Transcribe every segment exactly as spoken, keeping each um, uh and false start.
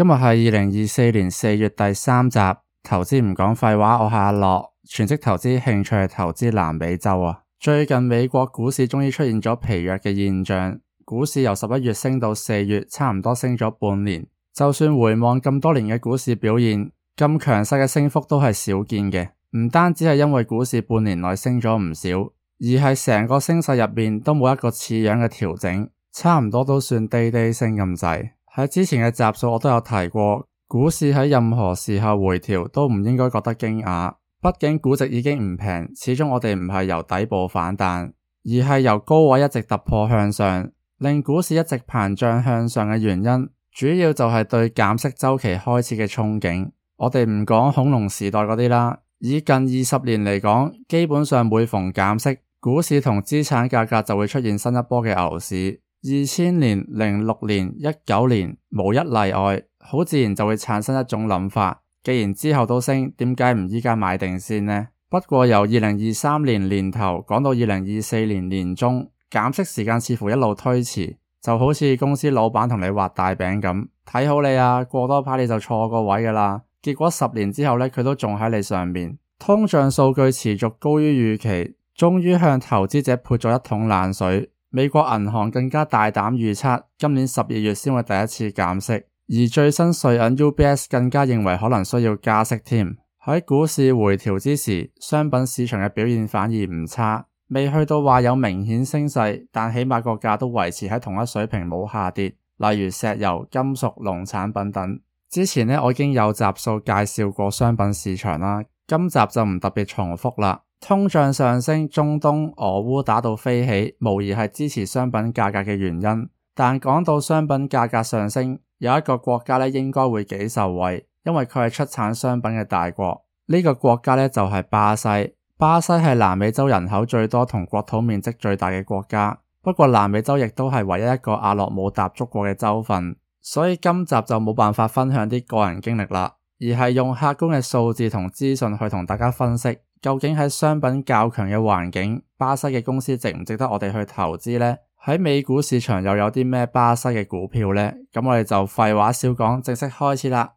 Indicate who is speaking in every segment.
Speaker 1: 今日係二零二四年四月第三集，投資唔講廢話，我係阿樂，全職投資，興趣係投資南美洲啊。最近美國股市終於出現咗疲弱嘅現象，股市由十一月升到四月，差唔多升咗半年。就算回望咁多年嘅股市表現，咁強勢嘅升幅都係少見嘅。唔單止係因為股市半年內升咗唔少，而係成個升勢入面都冇一個似樣嘅調整，差唔多都算低低升咁滯。喺之前嘅集數我都有提過，股市喺任何時候回調都唔應該覺得驚訝，畢竟估值已經唔平，始終我哋唔係由底部反彈，而係由高位一直突破向上，令股市一直膨脹向上嘅原因，主要就係對減息週期開始嘅憧憬。我哋唔講恐龍時代嗰啲啦，以近二十年嚟講，基本上每逢減息，股市同資產價格就會出現新一波嘅牛市。二千年、零六年、一九年無一例外，好自然就會產生一種諗法，既然之後都升，點解唔依家買定先呢？不過由二零二三年年頭講到二零二四年年中，減息時間似乎一路推遲，就好似公司老闆同你畫大餅咁，睇好你啊，過多排你就錯個位噶啦。結果十年之後呢，佢都仲喺你上面，通脹數據持續高於預期，終於向投資者潑咗一桶冷水。美國銀行更加大膽預測，今年十二月先會第一次減息，而最新瑞銀 U B S 更加認為可能需要加息添。喺股市回調之時，商品市場嘅表現反而唔差，未去到話有明顯升勢，但起碼個價都維持喺同一水平冇下跌，例如石油、金屬、農產品等。之前呢，我已經有集數介紹過商品市場啦，今集就唔特別重複啦。通脹上升，中東、俄烏打到飛起，無疑係支持商品價格嘅原因。但講到商品價格上升，有一個國家咧應該會幾受惠，因為佢係出產商品嘅大國。呢個國家咧就係巴西。巴西係南美洲人口最多同國土面積最大嘅國家，不過南美洲亦都係唯一一個阿樂冇踏足過嘅州份，所以今集就冇辦法分享啲個人經歷啦，而係用客觀嘅數字同資訊去同大家分析。究竟喺商品較強嘅環境，巴西嘅公司值唔值得我哋去投資呢？喺美股市場又有啲咩巴西嘅股票呢？咁我哋就廢話少講，正式開始啦。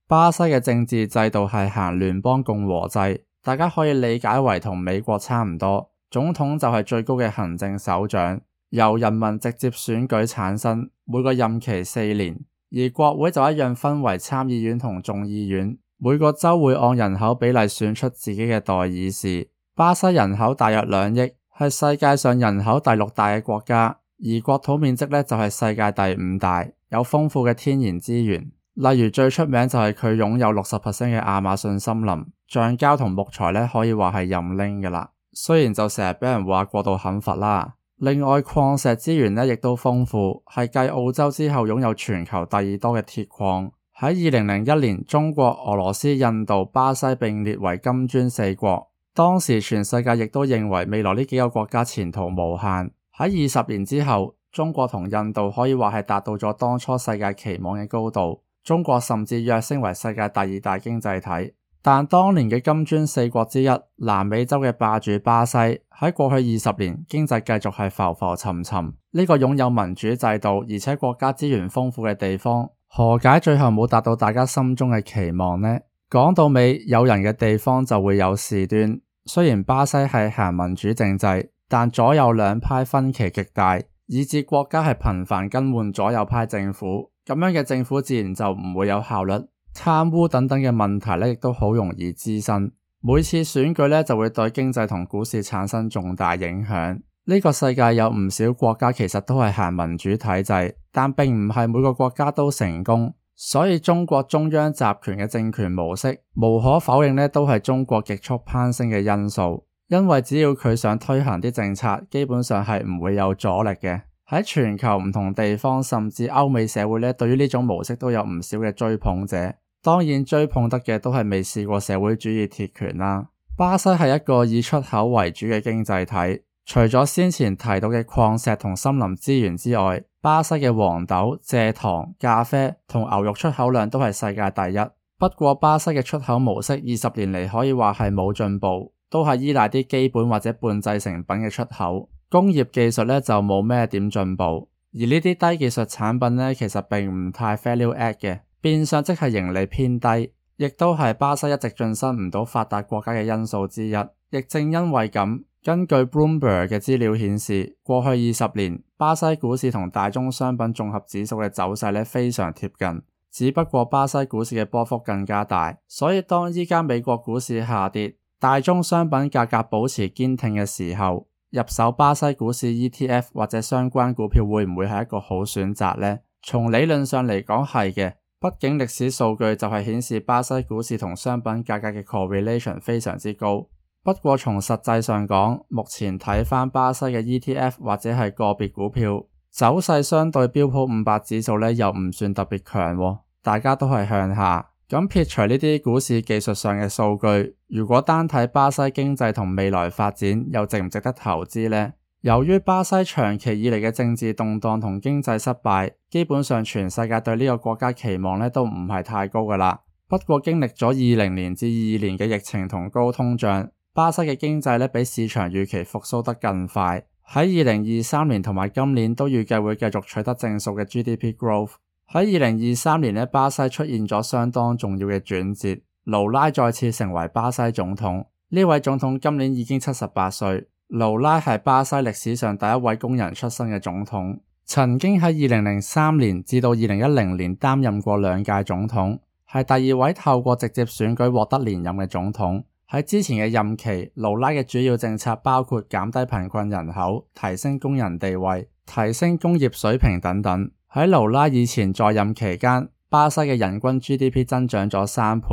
Speaker 1: 巴西嘅政治制度係行聯邦共和制，大家可以理解為同美國差唔多。總統就係最高嘅行政首長，由人民直接選舉產生，每個任期四年。而國會就一樣分為參議院同眾議院，每個州會按人口比例選出自己嘅代議士。巴西人口大約兩億，係世界上人口第六大嘅國家，而國土面積呢就係世界第五大，有豐富嘅天然資源。例如最出名就係佢擁有 百分之六十 嘅亞馬遜森林，橡膠同木材呢可以話係任拎㗎喇。雖然就成日俾人話過度砍伐啦，另外礦石資源呢亦都豐富，係繼澳洲之後擁有全球第二多嘅鐵礦。喺二零零一年，中國、俄羅斯、印度、巴西並列為金磚四國。當時全世界亦都認為未來呢幾個國家前途無限。喺二十年之後，中國同印度可以話係達到咗當初世界期望嘅高度，中國甚至躍升為世界第二大經濟體。但當年嘅金磚四國之一，南美洲嘅霸主巴西，喺過去二十年經濟繼續係浮浮沉沉。呢個擁有民主制度而且國家資源豐富嘅地方，何解最後冇達到大家心中嘅期望呢？講到尾，有人嘅地方就會有事端。雖然巴西係行民主政制，但左右兩派分歧極大，以致國家係頻繁更換左右派政府。咁樣嘅政府自然就唔會有效率。貪污等等嘅問題呢，亦都好容易滋生。每次選舉呢，就會對經濟同股市產生重大影響。呢個世界有唔少國家其實都係行民主體制，但並唔係每個國家都成功。所以中國中央集權嘅政權模式，無可否認呢，都係中國極速攀升嘅因素。因為只要佢想推行啲政策，基本上係唔會有阻力嘅。喺全球唔同地方，甚至歐美社會呢，對於呢種模式都有唔少嘅追捧者。當然追捧得嘅都係未試過社會主義鐵拳啦。巴西係一個以出口為主嘅經濟體，除咗先前提到嘅礦石同森林資源之外，巴西嘅黃豆、蔗糖、咖啡同牛肉出口量都係世界第一。不過巴西嘅出口模式二十年嚟可以話係冇進步，都係依賴啲基本或者半製成品嘅出口，工業技術呢就冇咩點進步，而呢啲低技術產品呢，其實並唔太 value add 嘅，變相即係盈利偏低，亦都係巴西一直晉身唔到發達國家嘅因素之一。亦正因為咁，根據 Bloomberg 嘅資料顯示，過去二十年巴西股市同大宗商品綜合指數嘅走勢呢非常貼近，只不過巴西股市嘅波幅更加大，所以當依家美國股市下跌，大宗商品價格保持堅挺嘅時候，入手巴西股市 E T F 或者相關股票會唔會係一個好選擇呢？從理論上嚟講係嘅，畢竟歷史數據就係顯示巴西股市同商品價格嘅 correlation 非常之高。不過從實際上講，目前睇返巴西嘅 E T F 或者係個別股票走勢相對標普五百指數呢又唔算特別強喎，大家都係向下。咁撇除呢啲股市技術上嘅數據，如果單睇巴西經濟同未來發展，又值唔值得投資呢？由於巴西長期以嚟嘅政治動盪同經濟失敗，基本上全世界對呢個國家期望呢都唔係太高㗎喇。不過經歷咗二零年至二二年嘅疫情同高通脹，巴西嘅經濟呢比市場預期復甦得更快。喺二零二三年同埋今年都預計會繼續取得正數嘅 G D P growth。喺二零二三年呢，巴西出現咗相當重要嘅轉折，盧拉再次成為巴西總統。呢位總統今年已經七十八歲，盧拉係巴西歷史上第一位工人出身嘅總統，曾經喺二零零三年至到二零一零年擔任過兩屆總統，係第二位透過直接選舉獲得連任嘅總統。喺之前嘅任期，盧拉嘅主要政策包括減低貧困人口、提升工人地位、提升工業水平等等。喺盧拉以前在任期間，巴西嘅人均 G D P 增長咗三倍。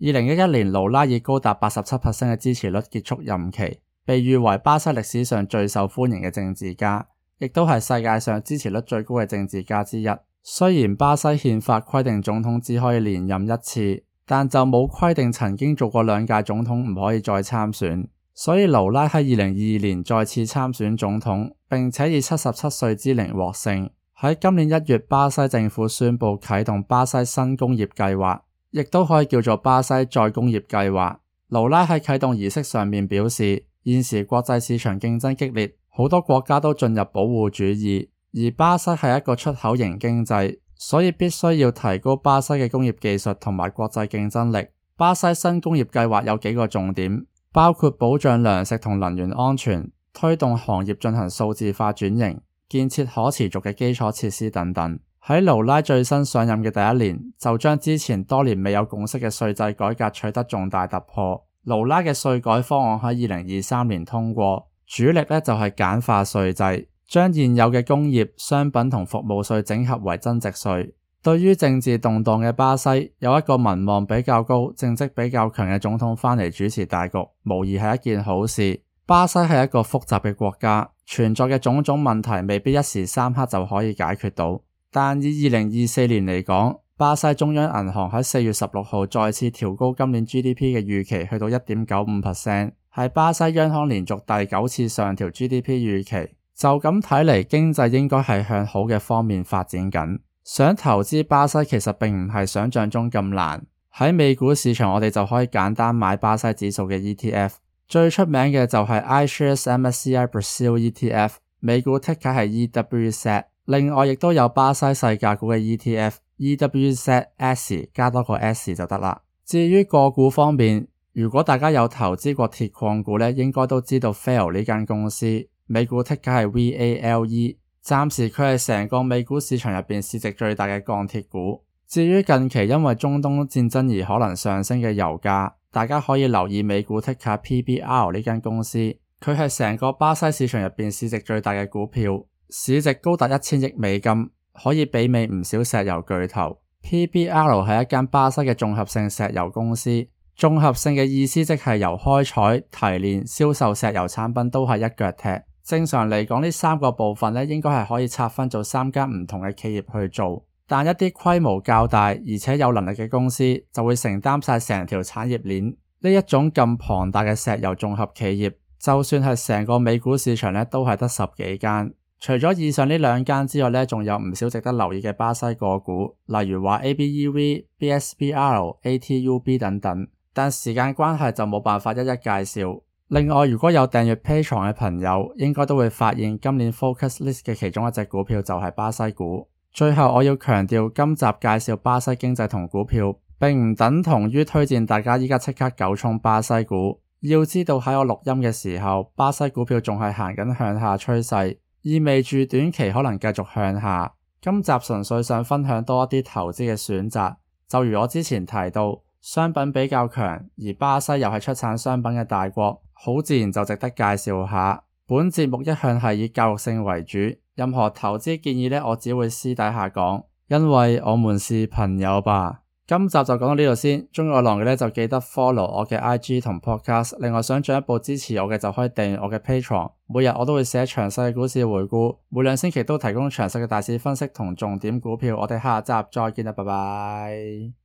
Speaker 1: 二零一一年，盧拉以高達 百分之八十七 嘅支持率結束任期，被譽為巴西歷史上最受歡迎嘅政治家，亦都係世界上支持率最高嘅政治家之一。雖然巴西憲法規定總統只可以連任一次，但就冇規定曾經做過兩屆總統唔可以再參選，所以盧拉喺二零二二年再次參選總統，並且以七十七歲之齡獲勝。喺今年一月，巴西政府宣布啟動巴西新工業計劃，亦都可以叫做巴西再工業計劃。盧拉喺啟動儀式上面表示，現時國際市場競爭激烈，好多國家都進入保護主義，而巴西係一個出口型經濟，所以必須要提高巴西嘅工業技術同埋國際競爭力。巴西新工業計劃有幾個重點，包括保障糧食同能源安全，推動行業進行數字化轉型，建設可持續嘅基礎設施等等。喺盧拉最新上任嘅第一年，就將之前多年未有共識嘅稅制改革取得重大突破。盧拉嘅稅改方案喺二零二三年通過，主力呢就係簡化稅制，將現有嘅工業、商品同服務稅整合為增值稅。對於政治動盪嘅巴西，有一個民望比較高、政績比較強嘅總統返嚟主持大局，無疑係一件好事。巴西係一個複雜嘅國家，存在嘅種種問題未必一時三刻就可以解決到。但以二零二四年嚟講，巴西中央銀行喺四月十六號再次調高今年 G D P 嘅預期去到 一點九五 percent， 係巴西央行連續第九次上調 G D P 預期。就咁睇嚟，經濟應該係向好嘅方面發展緊。想投資巴西其實並唔係想象中咁難。喺美股市場，我哋就可以簡單買巴西指數嘅 E T F。最出名嘅就係 iShares M S C I Brazil E T F， 美股 ticker 係 E W Z。另外亦都有巴西細價股嘅 E T F E W Z S 加多個 S 就得啦。至於個股方面，如果大家有投資過鐵礦股呢，應該都知道 V A L E 呢間公司，美股 ticker 係 V A L E。暫時佢係成個美股市場入邊市值最大嘅鋼鐵股。至於近期因為中東戰爭而可能上升嘅油價，大家可以留意美股 ticker P B R 呢間公司，佢係成個巴西市場入邊市值最大嘅股票，市值高達一千億美金，可以媲美唔少石油巨頭。P B R 係一間巴西嘅綜合性石油公司，綜合性嘅意思即係由開採、提煉、銷售石油產品都係一腳踢。正常嚟講，呢三個部分咧應該係可以拆分做三間唔同嘅企業去做，但一啲規模較大而且有能力嘅公司就會承擔晒成條產業鏈。呢一種咁龐大嘅石油綜合企業，就算係成個美股市場咧都係得十幾間，除咗以上呢兩間之外呢，仲有唔少值得留意嘅巴西個股，例如話 A B E V、B S B R、A T U B 等等，但時間關係就冇辦法一一介紹。另外，如果有訂閱 Patreon 嘅朋友，應該都會發現今年 Focus List 嘅其中一隻股票就係巴西股。最後我要強調，今集介紹巴西經濟同股票，並唔等同於推薦大家依家即刻九衝巴西股。要知道喺我錄音嘅時候，巴西股票仲係行緊向下趨勢，意味住短期可能繼續向下。今集純粹想分享多一啲投資嘅選擇，就如我之前提到，商品比較強，而巴西又係出產商品嘅大國，好自然就值得介紹下。本節目一向係以教育性為主，任何投資建議呢，我只會私底下講，因為我們是朋友吧。今集就講到呢度先，鍾意我浪嘅呢，就記得 follow 我嘅 I G 同 podcast， 另外想進一步支持我嘅就可以訂閱我嘅 Patreon， 每日我都會寫詳細嘅股市回顧，每兩星期都提供詳細嘅大市分析同重點股票。我哋下集再見啦，拜拜。